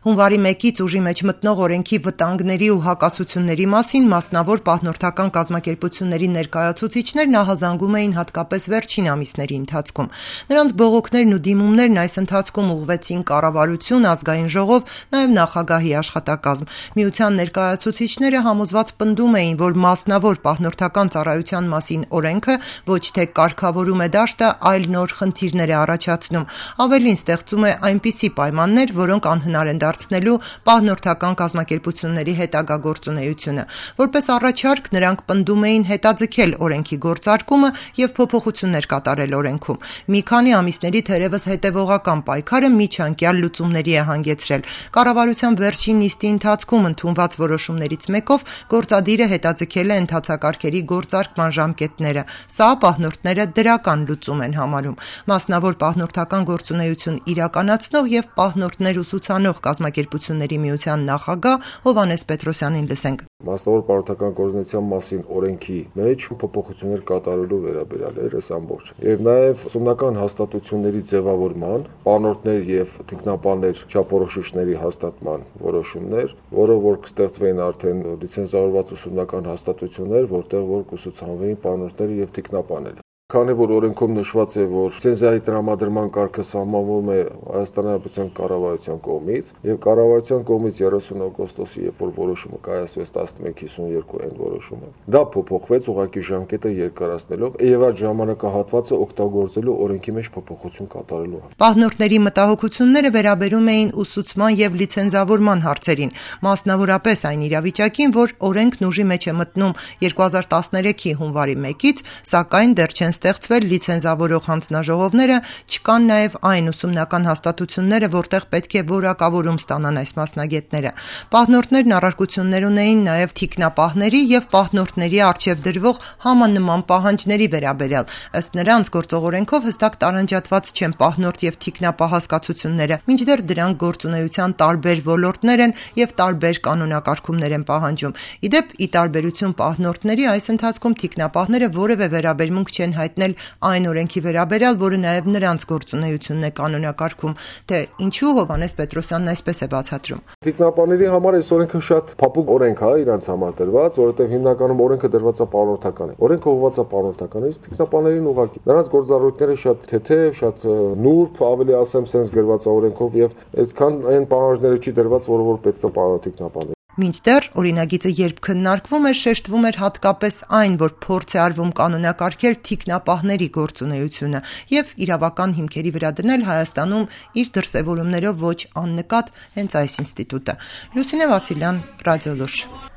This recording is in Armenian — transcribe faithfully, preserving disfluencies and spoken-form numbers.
Հունվարի մեկից ուժի մեջ մտնող օրենքի վտանգների ու հակասությունների մասին մասնավոր պահնորդական կազմակերպությունների ներկայացուցիչներն ահազանգում էին հատկապես վերջին ամիսների ընթացքում։ Նրանց բողոքներն ու դիմումներն այս ընթացքում ուղղվեցին կառավարություն, ազգային ժողով, նաև նախագահի աշխատակազմ։ Միության ներկայացուցիչները համոզված պնդում էին, որ մասնավոր պահնորդական ծառայության մասին օրենքը ոչ թե կարգավորում է դաշտը, այլ նոր խնդիրներ է առաջացնում։ Ավելին, ստեղծում է այնպիսի պայմաններ, որոնք անհնար են դարձնելու պահնորդական կազմակերպությունների հետագա գործունեությունը։ Որպես առաջարկ նրանք պնդում էին հետաձգել օրենքի գործարկումը և փոփոխություններ կատարել օրենքում։ Մի քանի ամիսների թերևս հետևողական պայքարը միջանկյալ լուծումների է հանգեցրել։ Կառավարության վերջին նիստի ընթացքում ընդունված որոշումներից մեկով գործադիրը հետաձգել է ընթացակարգերի գործարկման ժամկետները։ Սա պահնորդները դրական լուծում են համարում։ Մասնավոր պահնորդական գործունեություն իրականացնող և պահնորդներ ուսուցանող կազմակերպությունների միության նախագահ Հովհաննես Պետրոսյանին լսենք։ Մասնավոր պահնորդական գործունեության մասին օրենքի մեջ փոփոխություններ կատարելու վերաբերյալ էր այս ամբողջը։ Եվ նաև ուսումնական հաստատությունների ձևավորման, պահնորդներ և թիկնապահներ չափորոշիչների հաստատման որոշումներ, որով որ կստեղծվեին արդեն լիցենզավորված ուսումնական հաստատություններ, որտեղ որ կուսուցանվեին պահնորդները և թիկնապահները։ Քանի որ օրենքում նշված է, որ լիցենզիայի տրամադրման կարգը սահմանվում է Հայաստանի Հանրապետության կառավարության կողմից, եւ կառավարության կողմից երեսուն օգոստոսի, երբ որ որոշումը կայացվեց տասնմեկ հիսունյոթ այն որոշումը, դա փոփոխվեց ուղղակի ժամկետը երկարացնելով եւ այդ ժամանակահատվածը օգտագործելու օրենքի մեջ փոփոխություն կատարելու։ Պահնորդների մտահոգությունները վերաբերում էին ուսուցման եւ լիցենզավորման հարցերին, մասնավորապես այն իրավիճակին, որ օրենքն ուժի մեջ է մտնում երկու հազար տասներեքի հունվարի մեկից, սակայն դեռ չեն ստեղծվել լիցենզավորող հանձնաժողովները, չկան նաև այն ուսումնական հաստատությունները, որտեղ պետք է որակավորում ստանան այս մասնագետները։ Պահնորդներն առարկություններ ունեին նաև թիկնապահների և պահնորդների առջև դրվող համանման պահանջների վերաբերյալ։ Ըստ նրանց, գործող օրենքով հստակ տարանջատված չեն պահնորդ և թիկնապահ հասկացությունները, մինչդեռ դրանք գործունեության տարբեր ոլորտներ են և տարբեր կանոնակարգումներ են պահանջում։ Ի դեպ, ի տարբերություն պահնորդների, այս ընթացքում թիկնապահները որևէ վերաբերմունք չեն հայտնել այն օրենքի վերաբերյալ, որը նաև նրանց գործունեությունն է կանոնակարգում, թե ինչու Հովհաննես Պետրոսյանն այսպես է բացատրում։ Թիկնապահների համար այս օրենքը շատ փափուկ օրենք է իրանց համար դրված, որովհետև հիմնականում օրենքը դրված է պահնորդական է։ Օրենքը ուղղված է պահնորդականից, թիկնապահներին ուղղակի։ Նրանց գործառույթները շատ թեթև, շատ նուրբ, ավելի ասեմ, sense գրված է օրենքով եւ այդքան այն պահանջները չի դրված, որը որ պետք է պահնորդիկնապահների։ Մինչդեռ օրինագիծը երբ քննարկվում էր, շեշտվում էր հատկապես այն, որ փորձ է արվում կանոնակարգել թիկնապահների գործունեությունը և իրավական հիմքերի վրա դնել Հայաստանում իր դրսևորումներով ոչ աննկատ հենց այս ինստիտուտը։ Լուսինե Վասիլյան, Ռադիոլուրջ։